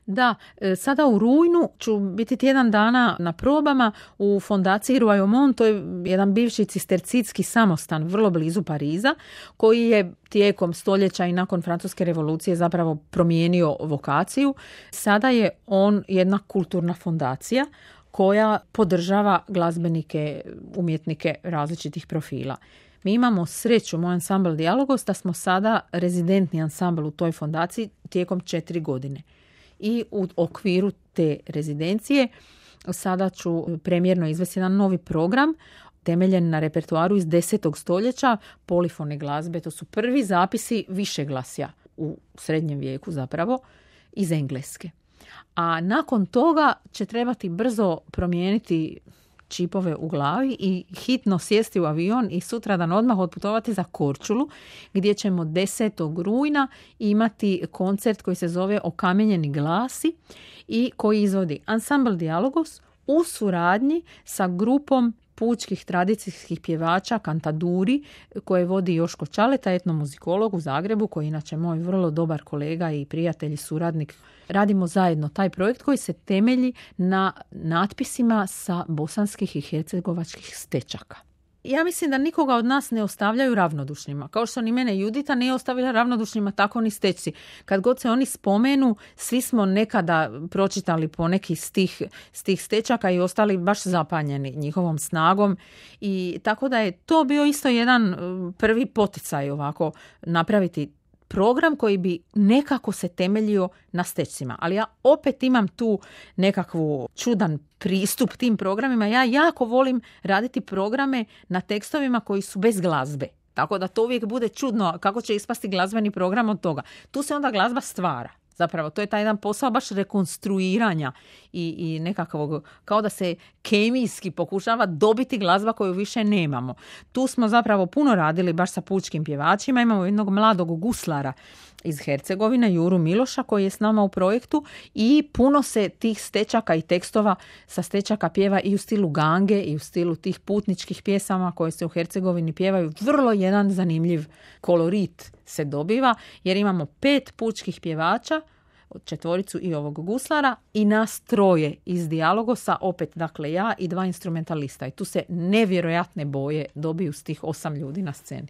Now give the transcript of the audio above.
Da, sada u rujnu ću biti tjedan dana na probama u fondaciji Royaumont, to je jedan bivši cistercitski samostan vrlo blizu Pariza, koji je tijekom stoljeća i nakon Francuske revolucije zapravo promijenio vokaciju. Sada je on jedna kulturna fondacija koja podržava glazbenike, umjetnike različitih profila. Mi imamo sreću, moj ansambl Dijalogos, da smo sada rezidentni ansambl u toj fondaciji tijekom 4 godine. I u okviru te rezidencije sada ću premjerno izvesti jedan novi program temeljen na repertoaru iz 10. stoljeća, polifone glazbe. To su prvi zapisi višeglasja u srednjem vijeku zapravo iz Engleske. A nakon toga će trebati brzo promijeniti čipove u glavi i hitno sjesti u avion i sutradan odmah otputovati za Korčulu, gdje ćemo 10. rujna imati koncert koji se zove Okamenjeni glasi i koji izvodi ansambl Dijalogos u suradnji sa grupom pučkih tradicijskih pjevača Kantaduri, koje vodi Joško Čaleta, etnomuzikolog u Zagrebu, koji je inače moj vrlo dobar kolega i prijatelj i suradnik. Radimo zajedno taj projekt koji se temelji na natpisima sa bosanskih i hercegovačkih stečaka. Ja mislim da nikoga od nas ne ostavljaju ravnodušnima. Kao što ni mene Judita nije ostavila ravnodušnima, tako ni stečci. Kad god se oni spomenu, svi smo nekada pročitali poneki s tih stečaka i ostali baš zapanjeni njihovom snagom. I tako da je to bio isto jedan prvi poticaj ovako napraviti program koji bi nekako se temeljio na stečcima. Ali ja opet imam tu nekakvu čudan pristup tim programima. Ja jako volim raditi programe na tekstovima koji su bez glazbe. Tako da to uvijek bude čudno kako će ispasti glazbeni program od toga. Tu se onda glazba stvara. Zapravo, to je taj jedan posao baš rekonstruiranja i nekakvog, kao da se kemijski pokušava dobiti glazba koju više nemamo. Tu smo zapravo puno radili baš sa pučkim pjevačima. Imamo jednog mladog guslara iz Hercegovine, Juru Miloša, koji je s nama u projektu i puno se tih stečaka i tekstova sa stečaka pjeva i u stilu gange i u stilu tih putničkih pjesama koje se u Hercegovini pjevaju. Vrlo jedan zanimljiv kolorit se dobiva jer imamo 5 pučkih pjevača, 4 i ovog guslara i nas 3 iz Dijalogosa, opet dakle ja i 2 instrumentalista. I tu se nevjerojatne boje dobiju s tih 8 ljudi na sceni.